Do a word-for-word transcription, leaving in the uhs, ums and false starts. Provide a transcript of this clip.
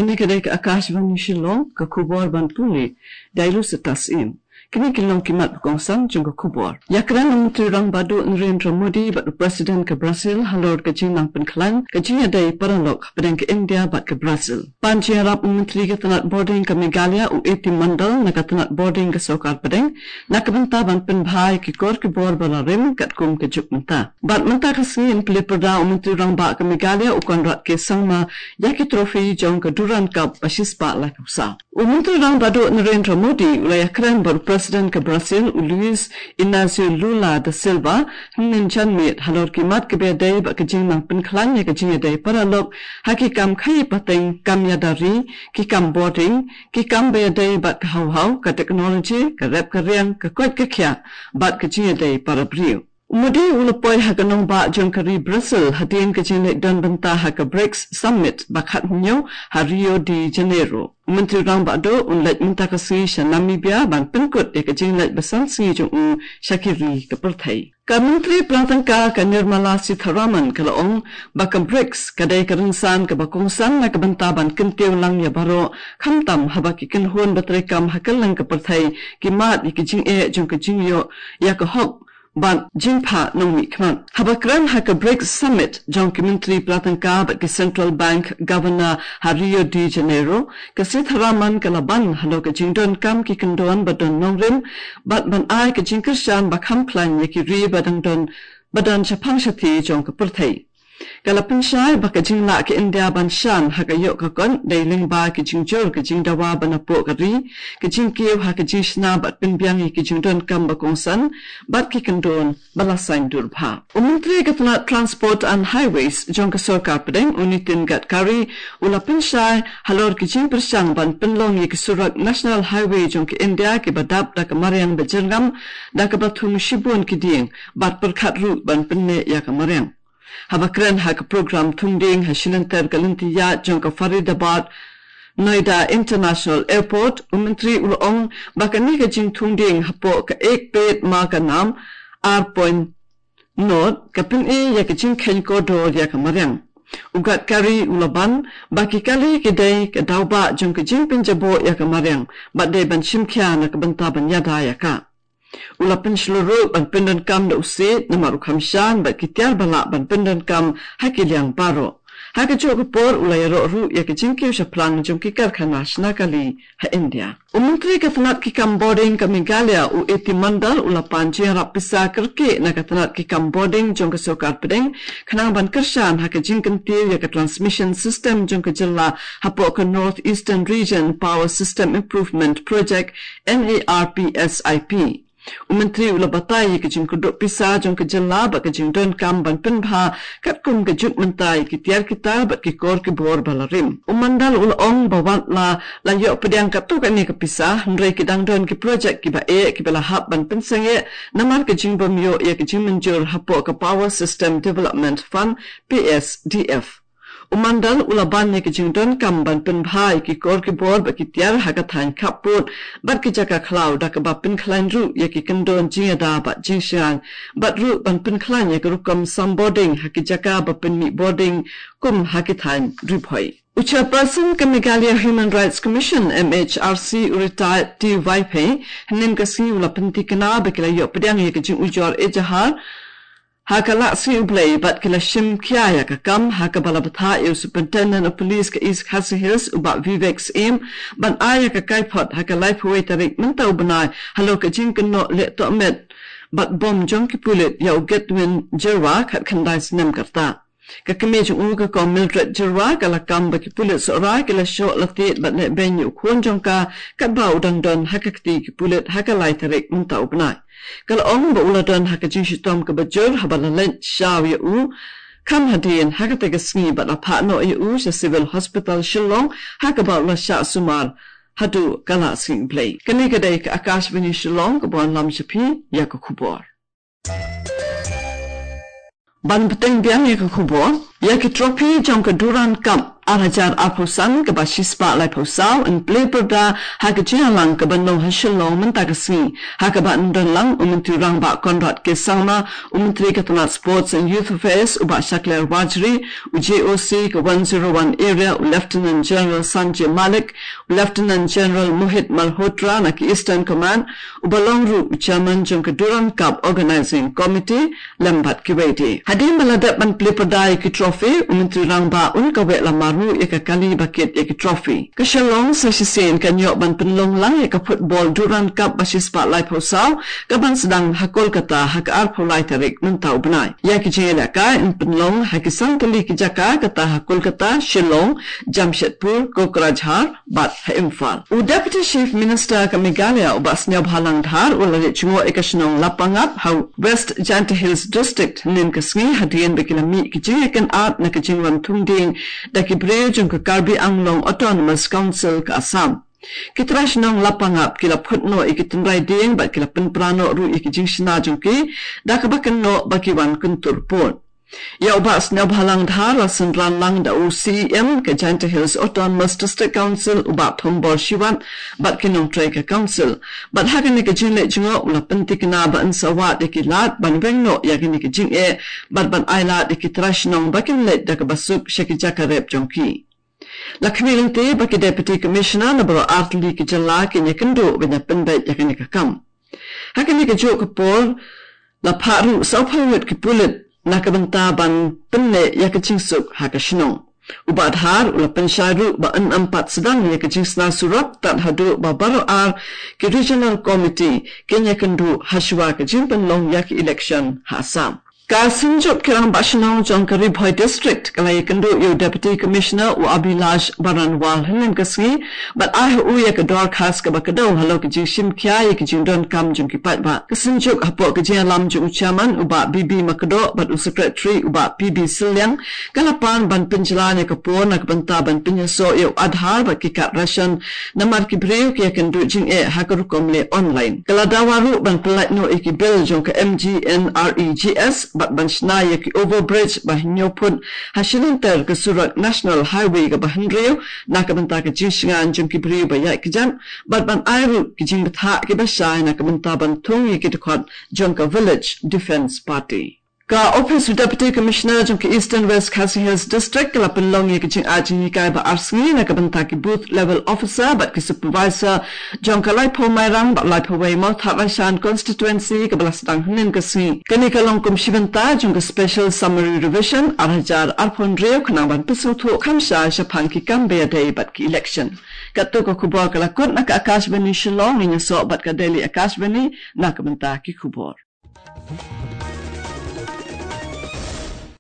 Kane ka dei ka Akashvani Shillong, ka khubor ban pule da i Lucitas Im. Kine ki long ki mat ba kongsan jong ka khubor. Ïakren u Myntri Rangbah Duh Narendra Modi bad u President ka Brazil halor ka jingnang pynkhlaiñ ka jingïadei paralok hapdeng ka India bad ka Brazil. Pan jingïarap u Myntri ka tnat bording ka Meghalaya u A T Mondal na ka tnat bording ka sorkar pdeng na ka bynta ban pynbha ïa ki kor ki bor ba la rim katkum ka juk mynta. Bad mynta ka sngi yn plie pyrda u Myntri Rangbah ka Meghalaya u Conrad K Sangma ïa ki trophy jong ka Durand Cup ba shispah laiphew saw. U Myntri Rangbah Duh Narendra Modi u la ïakren bad u President ka Brazil u Luiz Inacio Lula da Silva hynnin janmiet halor ki mat kiba ïadei bad ka jingnang pynkhlaiñ ïa ka jingïadei paralok ha ki kam khaïi pateng, kam ïada ri, ki kam bording, ki kam ba ïadei bad ka haw haw, ka technology, ka rep ka riang, ka koit ka khiah bad ka jingïadei para briew. U Modi u la poi ha ka nongbah jong ka ri Brazil hadien ka jingleit don bynta ha ka BRICS Summit ba khathynñiew ha Rio de Janeiro. U Myntri Rangbah Duh un leit mynta ka sngi sha Namibia ban pynkut ïa ka jingleit ba san sngi jong u sha ki ri ka pyrthei. Ka Myntri Pla Tyngka ka Nirmala Sitharaman ka la ong ba ka BRICS ka dei ka rynsan kaba kongsan na ka bynta ban kyntiew lang ïa baroh, khamtam haba ki kynhun ba treikam ha kylleng ka pyrthei ki mad ïa ki jingeh jong ka jingïoh ïa ka hok bad jingphah nongmihkhmat. Haba kren ha ka BRICS Summit jong ki Myntri Pla Tyngka bad ki Central Bank Governor ha Rio de Janeiro, ka Sitharaman ka la ban halor ka jingdonkam ki kyndon ba don nongrim bad ban ai ka jingkyrshan ba kham khlaiñ ïa ki ri ba dang don, ba don shaphang shathie jong ka pyrthei. Ka la pynshai ba ka jinglah ka India ban shan ha ka ïoh ka kot dei lyngba ka jingjur ka jingdawa ba napoh ka ri, ka jingkiew ha ka jingshna bad pynbiang ïa ki jingdonkam ba kongsan bad ki kyndon ba la saiñdur bha. U Myntri ka tnat Transport and Highways jong ka sorkar pdeng u Nitin Gadkari u la pynshai halor ki jingpyrshang ban pynlong ïa ki surok National Highway jong ka India kiba dap da ka mariang ba jyrngam da kaba thung shibun ki dieng bad pyrkhat ruh ban pynneh ïa ka mariang. Haba kren ha ka program thung dieng ha shilynter ka lynti ïaid jong ka Faridabad Noida International Airport, u Myntri u la ong ba kane ka jingthung dieng hapoh ka Ek Ped Maa Ka Naam ar point nought ka pyni ïa ka jingkheiñ kordor ïa ka mariang. U Gadkari u la ban ba ki kali ki dei ka daw bah jong ka jingpynjaboh ïa ka mariang bad dei ban shim khia na ka bynta ban ïada ïa ka. U la pynshlur ruh ban pyndonkam da u siej namar u kham shan bad ki tiar ba lah ban pyndonkam ha ki liang baroh. Ha kajuh ka por u la ïaroh ruh ïa ka jingkiew shaphrang jong ki karkhana shna kali ha India. U Myntri ka tnat ki kam bording ka Meghalaya u A T Mondal u la pan jingïarap pisa kyrkieh na ka tnat ki kam bording jong ka sorkar pdeng khnang ban kyrshan ha ka jingkyntiew ïa ka transmission system jong ka jylla hapoh ka North Eastern Region Power System Improvement Project, N E R P S I P. U Myntri u la batai ïa ka jingkyrduh pisa jong ka jylla bad ka jingdonkam ban pynbha katkum ka juk mynta ïa ki tiar ki tar bad ki kor ki bor ba la rim. U Mondal u la ong ba wat la la ïoh pdiang katto katne ka pisa, hynrei ki dang don ki projek kiba eh kiba la hap ban pynsangeh namar ka jingbym ïoh ïa ka jingmynjur hapoh ka Power System Development Fund, P S D F. U Mondal u la ban ïa ka jingdonkam ban pynbha ïa ki kor ki bor bad ki tiar ha ka thaiñ khappud bad ki jaka khlaw da kaba pynkhlaiñ ruh ïa ki kyndon jingïada bad jingshngaiñ bad ruh ban pynkhlaiñ ïa ka rukom sam bording ha ki jaka ba pynmih bording kum ha ki thaiñ Ri Bhoi. U Chairperson ka Meghalaya Human Rights Commission, M H R C, u Retired T Vaiphei, hynnin ka sngi u la pynthikna ba ki la ïoh pdiang ïa ka jingujor ejahar ha ka Lahsngi U Blei bad ki la shim khia ïa ka kam ha kaba la bthah ïa u Superintendent of Police ka East Khasi Hills u Bah Vivek Syiem ban ai ïa ka kaiphod ha ka laiphew wei tarik mynta u bnai halor ka jingkynnoh leh tohmet bad bom jong ki pulit ïa u Godwin Jyrwa, khatkhyndai snem ka rta. Ka kmie jong u ka Kong Mildred Jyrwa ka la kam ba ki pulit Sohra ki la shoh la tied bad leh beiñ ïa u khun jong ka katba u dang don ha ka kti ki pulit ha ka lai tarik mynta u bnai. Ka la ong ba u la don ha ka jingshitom kaba jur haba la leit shaw ïa u kham hadien ha kata ka sngi bad la phah noh ïa u sha Civil Hospital Shillong ha kaba u la shah sumar haduh ka Lahsngi U Blei. Kane ka dei ka Akashvani Shillong kaba wanlam sha phi ïa ka khubor. Ban bteng biang ïa ka khubor, ïa ki trophy jong ka Durand Cup ar hajar arphew san kaba shispah laiphew saw yn plie pyrda ha ka jingïalang kaba nong ha Shillong mynta ka sngi, ha kaba yn don lang u Myntri Rangbah Conrad K Sangma, u Myntri ka tnat Sports and Youth Affairs u Bah Shakliar Warjri, u J O C ka one zero one Area u Lieutenant General Sanjay Malik, u Lieutenant General Mohit Malhotra na ki Eastern Command, uba long ruh u Chairman jong ka Durand Cup Organising Committee, lem bad kiwei de. Hadien ba la dep ban plie pyrda ïa ki trophy, u Myntri Rangbah un kaweh la mar ruh ïa ka kali ba kit ïa ki trophy. Ka Shillong sa shisien kan ïoh ban pynlong lang ïa ka football Durand Cup ba shispah laiphew saw, kaban sdang ha Kolkata ha ka arphew lai tarik mynta u bnai. Ïa ki jingïalehkai yn pynlong ha ki san tylli ki jaka, kata ha Kolkata, Shillong, Jamshedpur, Kokrajhar, bad ha Imphal. U Deputy Chief Minister ka Meghalaya u Bah Sniawbhalang Dhar u la leit jngoh ïa ka shnong Lapangap ha West Jaintia Hills District hynnin ka sngi, hadien ba ki la mih ki jingïakynad na ka jingwan thung dieng da ki briew jong ka Karbi Anglong Autonomous Council ka Assam. Ki trai shnong Lapangap ki la phut noh ïa ki tynrai dieng bad ki la pynpra noh ruh ïa ki jingshna jong ki, da kaba kynnoh ba ki wan kyntur pud. Ïa u Bah Sniawbhalang Dhar la synran lang da u C E M ka Jaintia Hills Autonomous District Council u Bah Thombor Shiwat bad ki nongtrei ka council. Bad ha kane ka jingleit jngoh u la pynthikna ba yn sa wad ïa ki lad ban weng noh ïa kine ki jingeh bad ban ailad ïa ki trai shnong ba kin leit da kaba suk sha ki jaka rep jong ki. La khmih lynti ba ki Deputy Commissioner na baroh artylli ki jylla kin ïakynduh ban ïapynbeit ïa kane ka kam. Ha kane kajuh ka por la phah ruh sawphew ngut ki pulit na ka bynta ban pynneh ïa ka jingsuk ha ka shnong. U Bah Dhar u la pynshai ruh ba yn ym pat sdang ïa ka jingshna surok tad haduh ba baroh ar ki Regional Committee kin ïakynduh hashwa ka jingpynlong ïa ki election ha Assam. Ka Synjuk ki Rangbah Shnong jong ka Ri Bhoi District ka la ïakynduh ïa u Deputy Commissioner u Abhilash Baranwal hynnin ka sngi, bad ai ha u ïa ka dorkhas kaba kdew halor ka jingshim khia ïa ka jingdonkam jong ki paidbah. Ka Synjuk hapoh ka jingïalam jong u Chairman u Bah B B Makdoh bad u Secretary u Bah P B Sylliang, ka la pan ban pynjlan ïa ka por na ka bynta ban pynïasoh ïa u Aadhaar bad ki card ration, namar ki briew ki ïakynduh jingeh ha ka rukom leh online. Ka la dawa ruh ban pyllait noh ïa ki bill jong ka M G N R E G S bad ban shna ïa ki overbridge ba hynñiew phut ha shilynter ka surok National Highway kaba hynriew na ka bynta ka jingshngaiñ jong ki briew ba ïaid kjat, bad ban ai ruh ki jingbthah kiba shai na ka bynta ban thung ïa ki dkhot jong ka Village Defence Party. Ka Office u Deputy Commissioner jong ka Eastern West Khasi Hills District ka la pynlong ïa ka jingai jinghikai ba ar sngi na ka bynta ki Booth Level Officer bad ki Supervisor jong ka Laiphaw Mairang bad Laiphaw Wei Mawthadraishan Constituency kaba la sdang hynnin ka sngi. Kane ka long kum shi bynta jong ka Special Summary Revision ar hajar arphew hynriew khnang ban pynsngewthuh kham shai shaphang ki kam ba ïadei bad ki election. Katto ka khubor ka la kut na ka Akashvani Shillong, ngin ïasoh bad ka Delhi Akashvani na ka bynta ki khubor.